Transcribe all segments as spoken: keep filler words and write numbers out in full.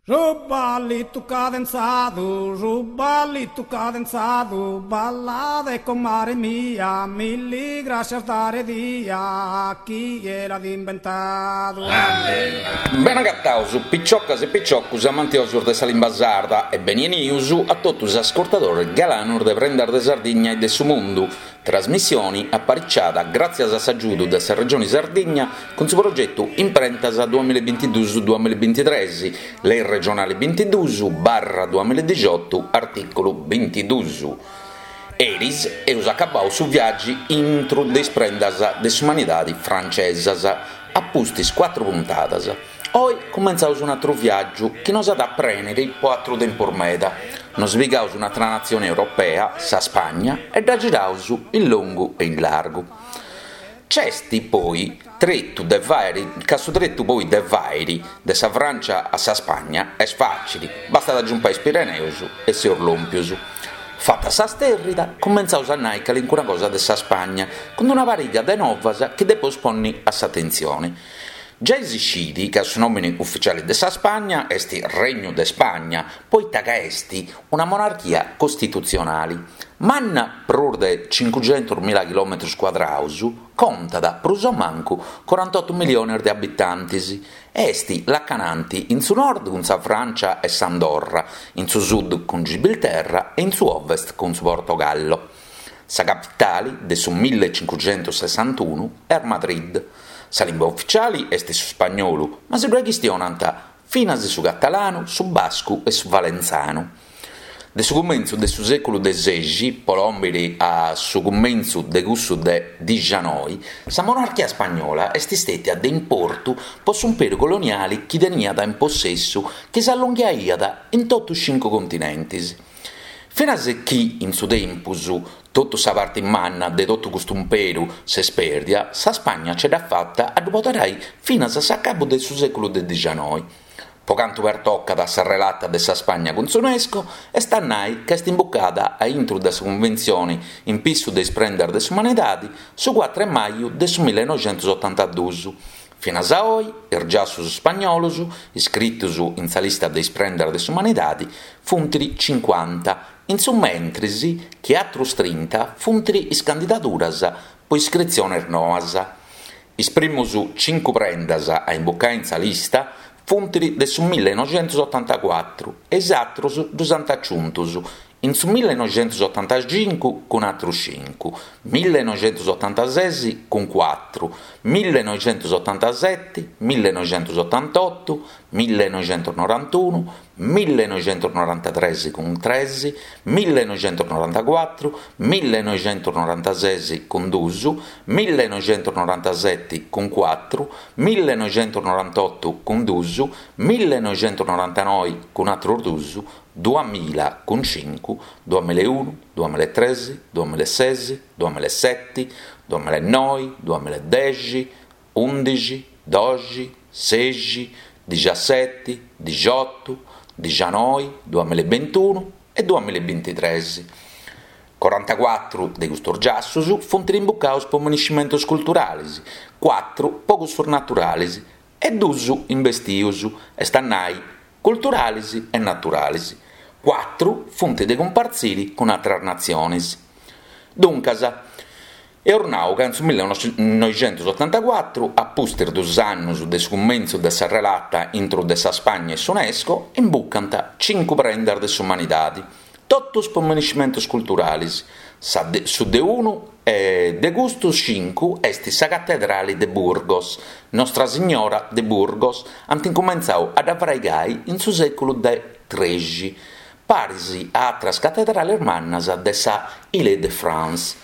Su ballitu cadenzadu, su ballitu cadenzadu, ballade comare mia, milli grascias dare dia, chie l'at imbentadu. Bene agataus, piciocas e piciocus amantiosus de sa limba sarda e beni 'enius a totu is ascurtadores galanus de Prendas de Sardigna e de su Mundu, trasmissioni apariciada gràtzias a s'agiudu de sa Regioni Sardigna cun su progetu Imprentas duamilla e bintiduus duamilla e bintitres, Lei regionali bintiduus barra duamilla e dixiotu, artìculu bintiduus. Eris eus acabau su viàgiu intru de is prendas de s'umanidadi francesas, a pustis cuatru puntadas. Oi cumentzaus un'atru viàgiu chi nos at a prèniri po atru tempus meda. Nos pigaus un'atra natzioni europea, sa Spagna, e dda giraus in longu e in largu. Nc'est poi tretu de fàiri, ca su tretu poi de fàiri de sa Frància a sa Spagna est fàcili, bastat a giumpai is Pireneus e seus lòmpius. Fata sa stèrrida, cumentzaus a nai calincuna cosa de sa Spagna, cun una pariga de novas chi depeus ponni a s'atentzioni. Giai si scit ca su nòmini ufitziali de sa Spagna est Regnu de Spagna, poita ca est una monarchia costitutzionali. Manna prus de cincuxentus mila chilòmetrus cuadraus, contat prus o mancu corantotu milionis de abitantis e est lacananti in su nord cun sa Frància e s'Andorra, in su sud cun Gibilterra e in su ovest cun su Portogallo. Sa capitali, de su millecincuxentussessantunu, est Madrid. Sa limba ufitziali est su spagnolu, ma si ddoi chistionant finas su catalanu, su bascu e su valentzanu. De su cumentzu de su sèculu de sexi, po lòmpiri a su cumentzu de cussu de dixanoi, sa monarchia spagnola est istètia de importu po s'umperu coloniali chi teniat in possessu chi s'allonghiaiat in totu is cincu continentis. Finas chi, in su tempus, totu sa parti manna de totu custu umperu s'est pèrdia, sa Spagna ce dd'at fata a ddu poderai finas a s'acabu de su sèculu de dixanoi. Po cantu pertocat sa relata de sa Spagna cun s'Unesco, est a nai ca est imbucada a intru de sa Cunventzioni in pissu de is prendas de s'umanidadi su cuatru 'e maju de su millenoixentusotantaduus. Finas a oi, is giassus spagnolus, iscritus in sa lista de is prendas de s'umanidadi, funt cincuanta, in su mentris chi atrus trinta funt is candidaduras po iscritziones noas. Is primus cincu prendas a imbucai in sa lista funt de su millenoixentusotantacuatru e is atrus ddus ant aciuntus in su millenoixentusotantacincu cun atrus cincu, millenoixentusotantases cun cuatru, millenoixentusotantaseti, millenoixentusotantotu, millenoixentusnorantunu, millenoixentusnorantatres cun tres, millenoixentusnorantacuatru, millenoixentusnorantases cun dus, millenoixentusnorantaseti cun cuatru, millenoixentusnorantotu cun dus, millenoixentusnorantanoi cun atrus dus, duamilla cun cincu, duamilla e unu, duamilla e tres, duamilla e ses, duamilla e seti, duamilla e noi, duamilla e dexi, undixi, doxi, sexi, dixaseti, dixiotu, dixanoi, duamilla e bintunu e duamilla e bintitres. Corantacuatru de custos giassus funt imbucados po miniscimentos culturales, cuatru po cussos naturales e dus imbestios, est a nai culturales e naturales. Cuatru funt de cumpartzire cun àteras natziones. Duncas, eus nau ca in su millenoixentusotantacuatru, a pustis dus annos de su cumentzu de sa relata intro de sa Spagna e s'Unesco, imbucant cincu prendas de s'umanidade, totus po miniscimentos culturales. Sa de, su de unu de custos cincu est sa catedrale de Burgos, Nostra Signora de Burgos, ant incumentzadu a dda fraigai in su sèculu de trexi, paris a àteras catedrales mannas de sa Île-de-France.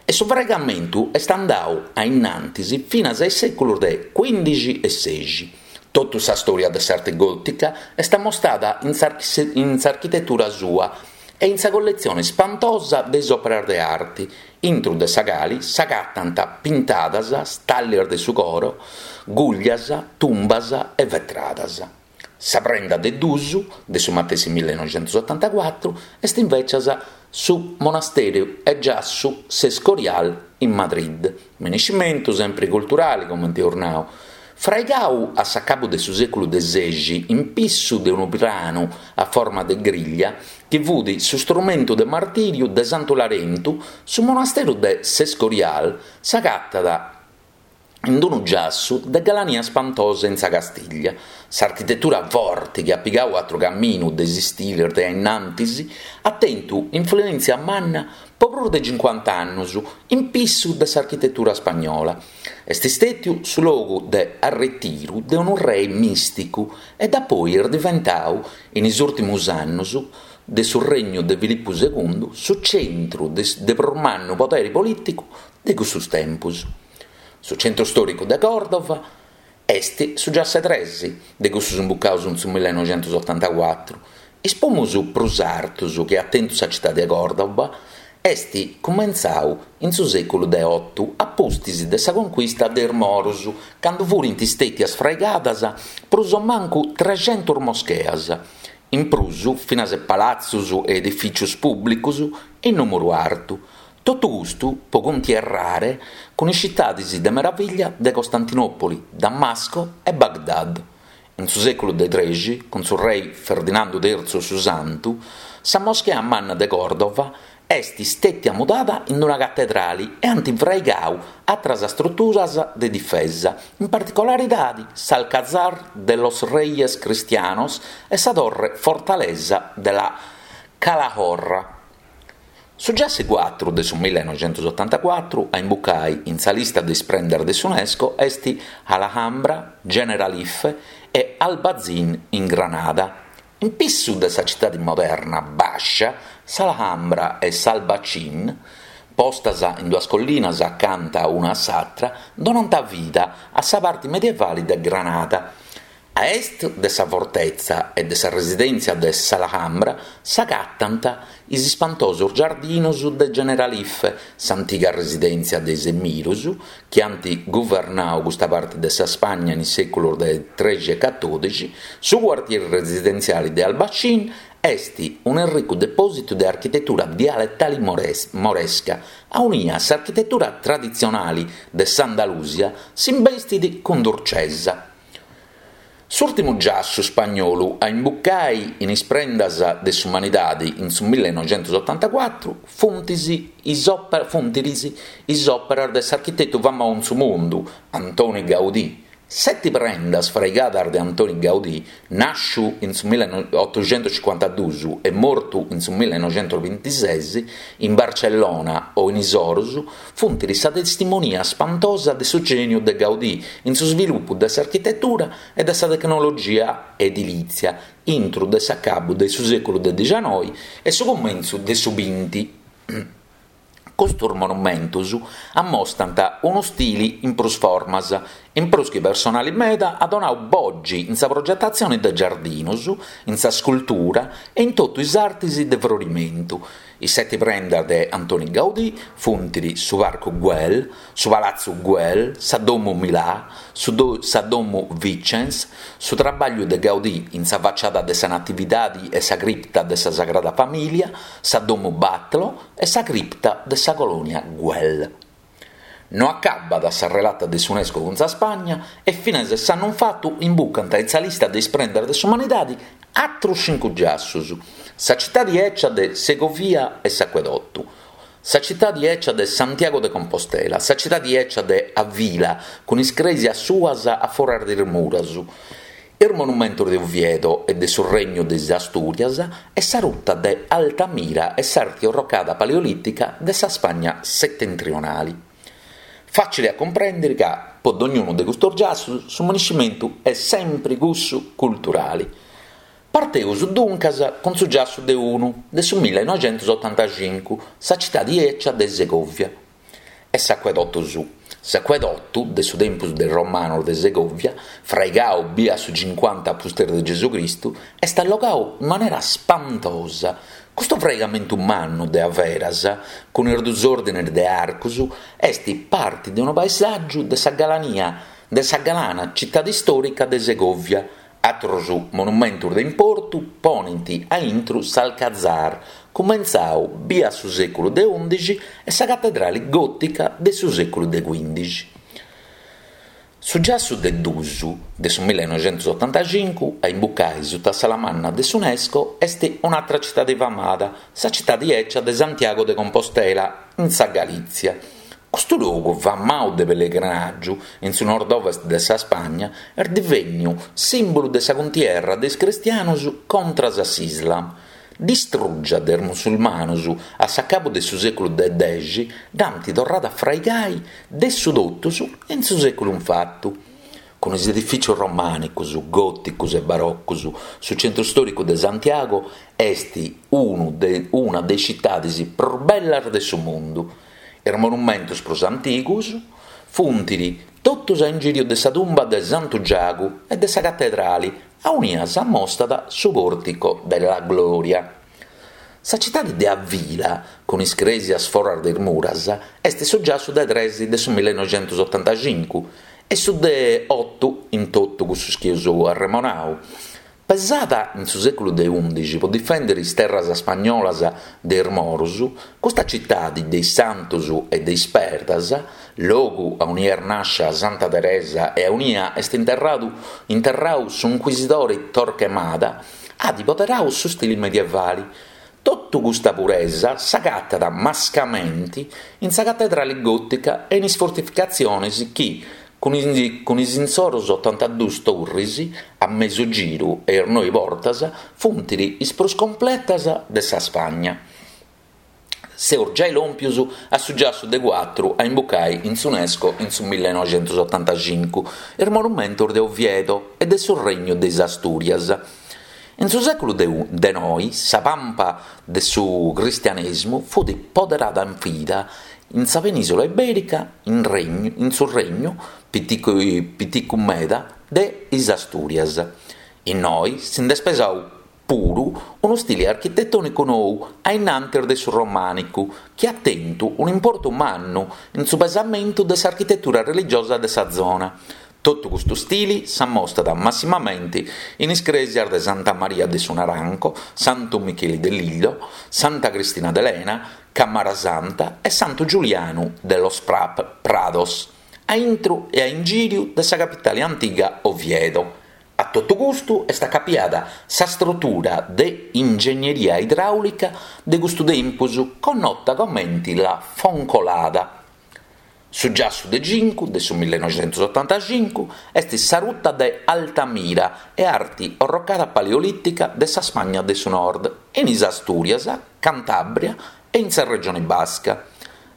E su fraigamentu est andadu a in antis finas a is sèculos de cuìndixi e sexi. Totu sa stòria de s'arte gòtica est ammostada in s'architetura sua e in sa colletzione spantosa de is òperas de arti, intro de sa cale s'agatant pintadas, stallias de su coro, gùglias, tumbas e vetradas. Sa prenda de dus, de su matessi millenoixentusotantacuatru, est invècias su monastèriu e giassu s'Escorial in Madrid, miniscimentu sempri culturali, comente eus nau. Fraigau a s'acabu de su sèculu de sexi in pissu de unu pranu a forma de griglia, chi fut su strumentu de martìriu de Santu Larentu, su monasteru de s'Escorial s'agatat in unu giassu de galania spantosa in sa Castiglia. S'architetura forti chi at pigau atru caminu de is istilis de ainnantis at tentu influèntzia manna po prus de cincuanta annus in pissu de s'architetura spagnola. Est stètiu su logu de arretiru de unu rei mìsticu e dapoi est diventau, in is ùrtimus annus de su regnu de Filipu segundu, su centru de prus mannu poderi polìticu de cussus tempus. Su centru stòricu de Còrdova est su giassu tres, de cussus imbucaus in su millenoixentusotantacuatru. Is pumus prus artus chi at tentu sa citadi de Còrdova est cumentzau in su sèculu de otu, a pustis de sa concuista de is Morus, candu furint stètias fraigadas prus o mancu trexentus moscheas, in prus finas palatzus e edifìcius pùblicus in nùmeru artu. Totu custu po cuntierrare cun is citadis de meravìllia de Costantinòpoli, Damasco e Baghdad. In su sèculu de trexi, cun su rei Ferdinandu tertzu su Santu, sa moschea manna de Còrdova est stètia mudada in una catedrali e ant fraigau atras struturas de difesa, in particularidadi s'Alcazar de los Reyes Cristianos e sa torre fortalesa de la Calahorra. Su giassu cuatru de su millenoixentusotantacuatru a imbucai in sa lista de is prendas de s'UNESCO est Alhambra, Generalife e Albazin in Granada. In pissu de sa citadi moderna bàscia, s'Alhambra e s'Albaicín, postas in duas collinas acanta una a s'atra, donant vida a sa parti medievali de Granada. A est de sa fortetza e de sa residèntzia de s'Alhambra s'agatant is ispantosos giardinos de Generalife, s'antiga residèntzia de is emirus, chi ant guvernau custa parti de sa Spagna in is sèculos de trexi e catòdixi. Su cuartieri residentziale de Albacin est un'erricu depòsitu de architetura dialetale moresca, aunia s'architetura traditzionale de s'Andalusia s'imbestit cun durcesa. S'ùrtimu giassu spagnolu a imbucai in is prendas de s'umanidade in su millenoixentusotantacuatru funtis is is òperas de s'architetu famau in su mundu, Antoni Gaudí. Seti prendas fraigadas de Antoni Gaudí, nàsciu in su millenotoxentucincuantaduus e mortu in su millenoixentusbintises, in Barcellona o in is orus, funt sa testimonia spantosa de su gèniu de Gaudí in su svilupu de s'architetura e de sa tecnologia edilìtzia intro de s'acabu de su sèculu de dicianoi e su cumentzu de su binti. Custos monumentos ammostant unu stili in prus formas, in prus chi personale meda at donadu bogi in sa progetatzione de giardinos, in sa scultura e in totu is artes de frorimentu. Is sete prendas de Antoni Gaudí funt su Parcu Güell, su Palatzu Güell, sa Domu Milà, su do, sa Domu Vicens, su trabagliu de Gaudí in sa faciada de sa Natividade e sa cripta de sa Sagrada Famìlia, sa Domu Batlló e sa cripta de sa Colònia Güell. No acabat sa relata de s'UNESCO cun sa Spagna e finas s'annu fatu imbucant in sa lista de is prendas de s'umanidade atros cincu giassus, sa citadi ecia de Segovia e s'Aquedotto, sa citadi ecia de Santiago de Compostela, sa citadi ecia de Avila cun is cresias suas a foras de is muras, is monumentos de Oviedo e de su Regnu de is Asturias e sa ruta de Altamira e s'arte orrocada paleolitica de sa Spagna setentrionale. Facile a comprendere ca, po ognuno de custos giassus, su maniscimentu è sempre cussu culturale. Parteus duncas cun su giassu de unu, de su millenoixentusotantacincu, sa citadi ecia de Segovia e s'Aquedotto su. S'Aquedotto, de su tempus dei Romanos de Segovia, fraigau bia su cinquanta pustis de Gesù Cristu, est allogau in maniera spantosa. Custu fraigamento mannu de averas, cun is dus ordines de arcos, est parte de unu paesaggiu de sa galania, de sa galana città storica de Segovia. Atros monumentos de importu ponint a intro s'Alcazar, cumentzau bia su sèculu de undixi e sa cattedrale gotica de su sèculu de quindixi. Su giassu de dus de su millinoixentusotantacincu a imbucai sutta s'ala manna de s'UNESCO est un'atra citadi famada, sa citadi 'ecia de Santiago de Compostela, in sa Galìtzia. Custu logu famau de pellegrinàgiu in su nord-ovest de sa Spagna est divènniu sìmbulu de sa cuntierra de is cristianos contras a s'Islam. Distrùgia de is musulmanos a s'acabu de su sèculu de dexi, dd'ant torrada a fraigai de su totus in su sèculu infatu. Cun is edifìtzios romànicos, gòticos e barocos, su centru stòricu de Santiago est unu de, una de is citades prus bellas de su mundu. Is monumentos prus antigos funt totus a ingìriu de sa tumba de Santu Giagu e de sa catedrale, aunia s'ammostat su Portico della Gloria. Sa citade de Avila, cun is crèsias foras de is muras, est su giassu de tres de su millinoixentusotantacincu e su de oto in totu cussus chi eus arremonau. Pesada in su sèculu de ùndixi pro difèndere is terras ispagnolas de is moros, custa citade de is santos e de is perdas, logu aunia est nàscia Santa Teresa e aunia est interradu interradu s'inquisidore Torquemada, at poderadu su stile medievale. Totu custa puresa s'agatat mascamente in sa catedrale gòtica e in is fortificatziones chi, cun is, cun is insoros otantaduas turres a mesu giru e is noe portas, funt is prus completas de sa Spagna. Seus giai lòmpios a su giassu de cuatru a imbucai in s'UNESCO in su millinoixentusotantacincu, is monumentos de Oviedo e de su Regnu de is Astùrias. In su sèculu de, de noe, sa pampa de su cristianesimo fut poderada in fida in sa penìsula ibèrica, in, regnu, in su regnu piticu, piticu meda de is Astùrias. Innoi si nd'est pesadu puru unu stile architetònicu nou a innantis de su romànicu, chi at tentu un'importu mannu in su pesamentu de s'architetura religiosa de sa zona. Totu custu stile s'ammostat massimamente in is crèsias de Santa Maria de su Naranco, Santu Micheli de Lillo, Santa Cristina de Lena, Camara Santa e Santu Giulianu de los Prados, a intro e a ingìriu de sa capitale antiga Oviedo. A totu custu est acapiada sa struttura de ingegneria idràulica de custu tempus, connota comente la Foncolada. Su giassu de cincu de su millinoixentusotantacincu est sa ruta de Altamira e arti orrocada paleolìtica de sa Spagna de su Nord, in is Astùrias, Cantàbria e in sa regione basca.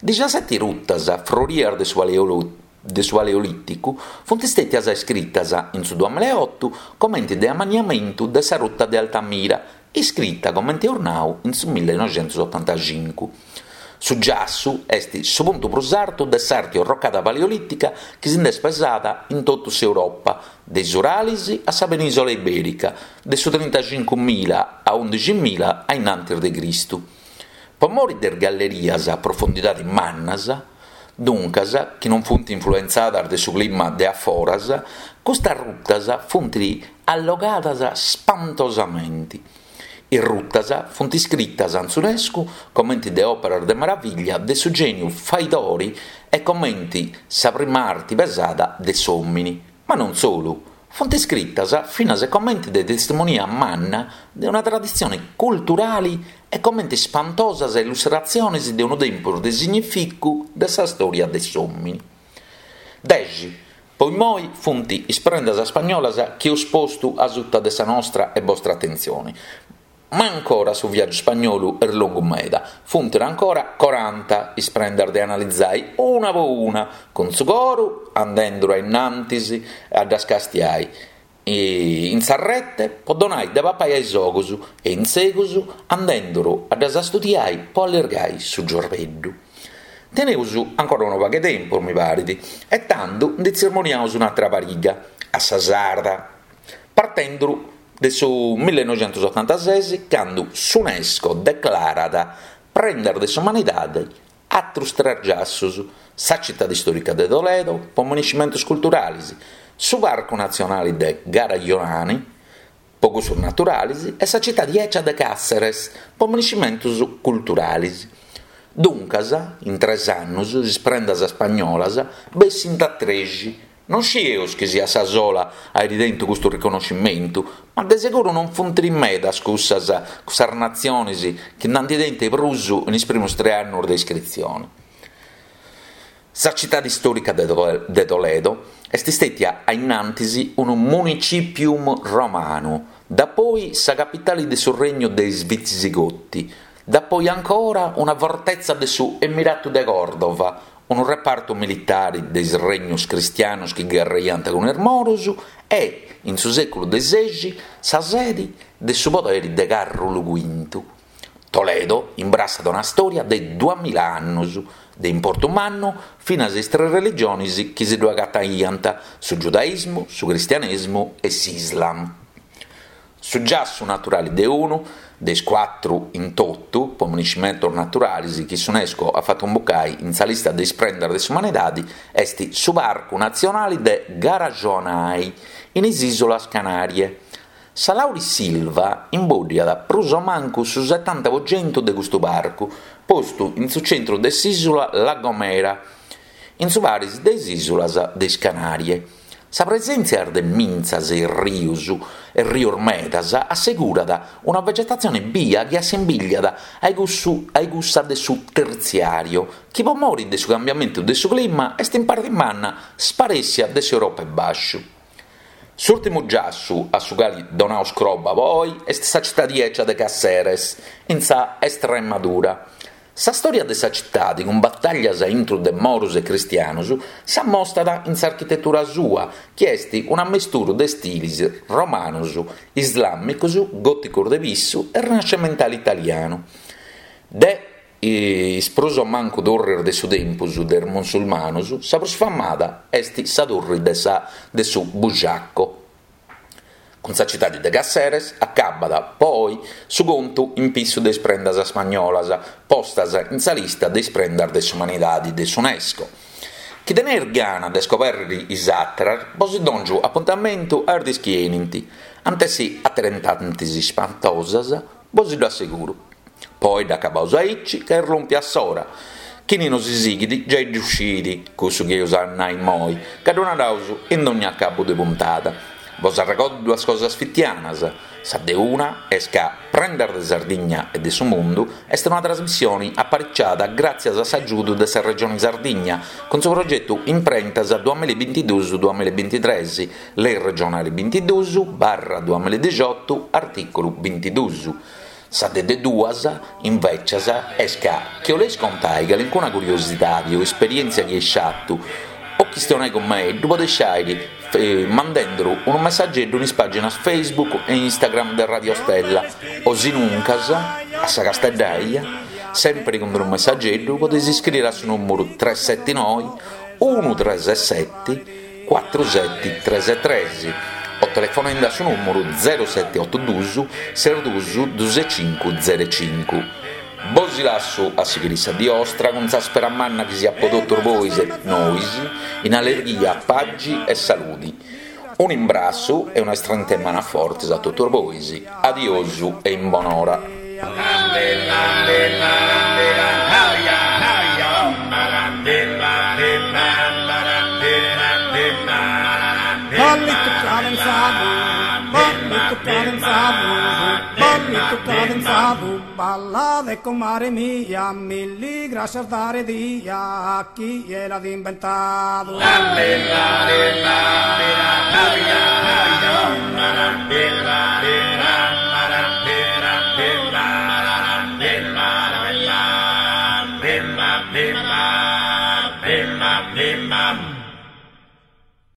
Diciaseti rutas frorias de su paleolìticu de su Paleolìticu funt stètias iscritas in su duamillaeoto comente de ammaniamentu de sa ruta de Altamira, iscrita comente eus nau in su millinoixentusotantacincu. Su giassu est su puntu prus artu de s'arte orrocada paleolìtica chi si nd'est pesada in totu s'Europa, de is Uralis a sa penìsula ibèrica, de su trintacincumila a undiximila a innantis de Cristu. Po mori de is gallerias a profundidade mannas, duncas, chi non funt influentzadas de su clima de aforas, custas rutas funt allogadas spantosamente. Is rutas funt iscritas in s'UNESCO comente de òperas de meraviglia de su gèniu faidori e comente sa prima arte pesada de s'òmine. Ma non solu, funt iscritas finas e comente de testimonia manna de una traditzione culturale e comente spantosas illustratziones de unu tempus de significu de sa storia de s'òmine. Dexi. Po immoi funt is prendas spagnolas chi eus postu a suta de sa nostra e vostra atentzione. Ma ancora su viàgiu spagnolu est longu meda. Funt ancora coranta is prendas de analizai una po una, cun su coru andenduru a innantis a ddas castiai. E in sa rete po donai de papai a is ogus e in segus andenduru a ddas studiai po allirgai su giorbeddu. Teneus ancora unu pagu 'e tempus, mi parit, e tandu ndi tzirmoniaus un'atra pariga, a sa sarda, partenduru de su millinoixentusotantases, cando s'UNESCO declarat prendas de s'umanidade atrus tres giassos, sa citade istòrica de Toledo, po monumentos culturales, su Parcu Natzionale de Garajonay, po cussos naturales, e sa citade ecia de Cáceres, po monumentos culturales. Duncas, in tres annos, is prendas spagnolas bessint a trexi, Non scieus chi siat sa sola a àere tentu custu riconoscimentu, ma de seguru non funt medas cussas, cussas natziones chi nd'ant tentu prus in is primos tres annos de iscritzione. Sa citade istòrica de Toledo est istètia a in antis unu municipium romanu, dapoi sa capitale de su regnu de is Visigoti, dapoi ancora una fortetza de su Emiratu de Còrdova, unu repartu militare de is regnos cristianos chi gherraiant cun is moros e, in su sèculu de sexi, sa sede de su podere de Càrulu Cuintu. Toledo imbrassat una stòria de duamilla annos, de importu mannu finas is tres religiones chi si ddu agataiant, su giudaismu, su cristianesmu e s'Islam. Su giassu naturale de unu, de is cuatru in totu, pomunicimentos naturales chi s'UNESCO at fatu imbucare in sa lista de is prendas de s'umanidade, est su Parcu Natzionale de Garajonay, in is Ìsulas Canarie. Sa laurisilva imbòddiat prus o mancu su setanta pro chentu de custu parcu, postu in su centru de s'ìsula La Gomera, in su paris de is ìsulas de is Canarie. Sa presèntzia de mintzas e rios e rios medas assegurat una vegetatzione bia chi assimbigliat a cussu a cussa de su tertziàriu, chi pro more de su cambiamentu de su clima est in parte manna sparèssia de s'Europa 'e Bàsciu. S'ùrtimu giassu a su cale donaus croba po oe est sa citade ecia de Caceres, in sa Estremadura. Sa stòria de sa citade, cun batallas intro de moros e cristianos, s'ammostat in s'architetura sua, chi est un'ammesturu de stiles romanos, islàmicos, gòticos de pissu e rinascimentale italianu. De is prus o mancu turres de su tempus de is musulmanos, sa prus famada est sa turre de sa de su Buxaco. Cun sa citade de Caceres acabat, poi, su contu in pissu de is prendas spagnolas, postas in sa lista de is prendas de s'umanidade de s'UNESCO. Chi teneis gana de iscobèrrere is àteras, bos dòngio apuntamentu a is dies chi 'enint. Ant essi aterentantes ispantosas, bos ddu asseguro. Poi dd'acabaus aici ca est lòmpia s'ora. Chini nos sighit giai ddu scit cussu chi eus a nai immoi, ca ddu naraus in dogna acabu de puntada. Bos arregordo duas cosas fitianas. Sa de una est ca Prendas de Sardigna e de su Mundu est una trasmissione apariciada gràtzias a s'agiudu de sa Regione Sardigna cun su progetu Imprentas duamilla e bintiduus duamilla e bintitrès, Lei regionale bintiduus barra duamilla e dixiotu, artìculu bintiduus. Sa de de duas, invècias, est ca chi 'oleis contai calincuna curiosidade o esperièntzia chi eis fatu o chistionai cun mei, ddu podeis fàghere mandenduru unu messageddu in is pàginas Facebook e Instagram de Radio Stella o sinuncas a sa Casteddaia, sempre cun unu messageddu podeis iscriere a su nùmeru tres sete noe unu tres sete cuatru sete tres tres o telefonende a su nùmeru zero sete oto duos ses duos duos cincu zero cincu. Bos lasso a sighire sa die 'ostra cun sa spera manna chi siat po totus bois e nois in allegria, pagi e salude. Un'imbrassu e una istrenta 'e manu fortes a totus bois. Adiosu e in bonora. Ballito cadenzado, ballito cadenzado, ballito cadenzado, balla de comare mia, milli gracias dare dia a chi l'ha inventato. Bimba, bimba, bimba.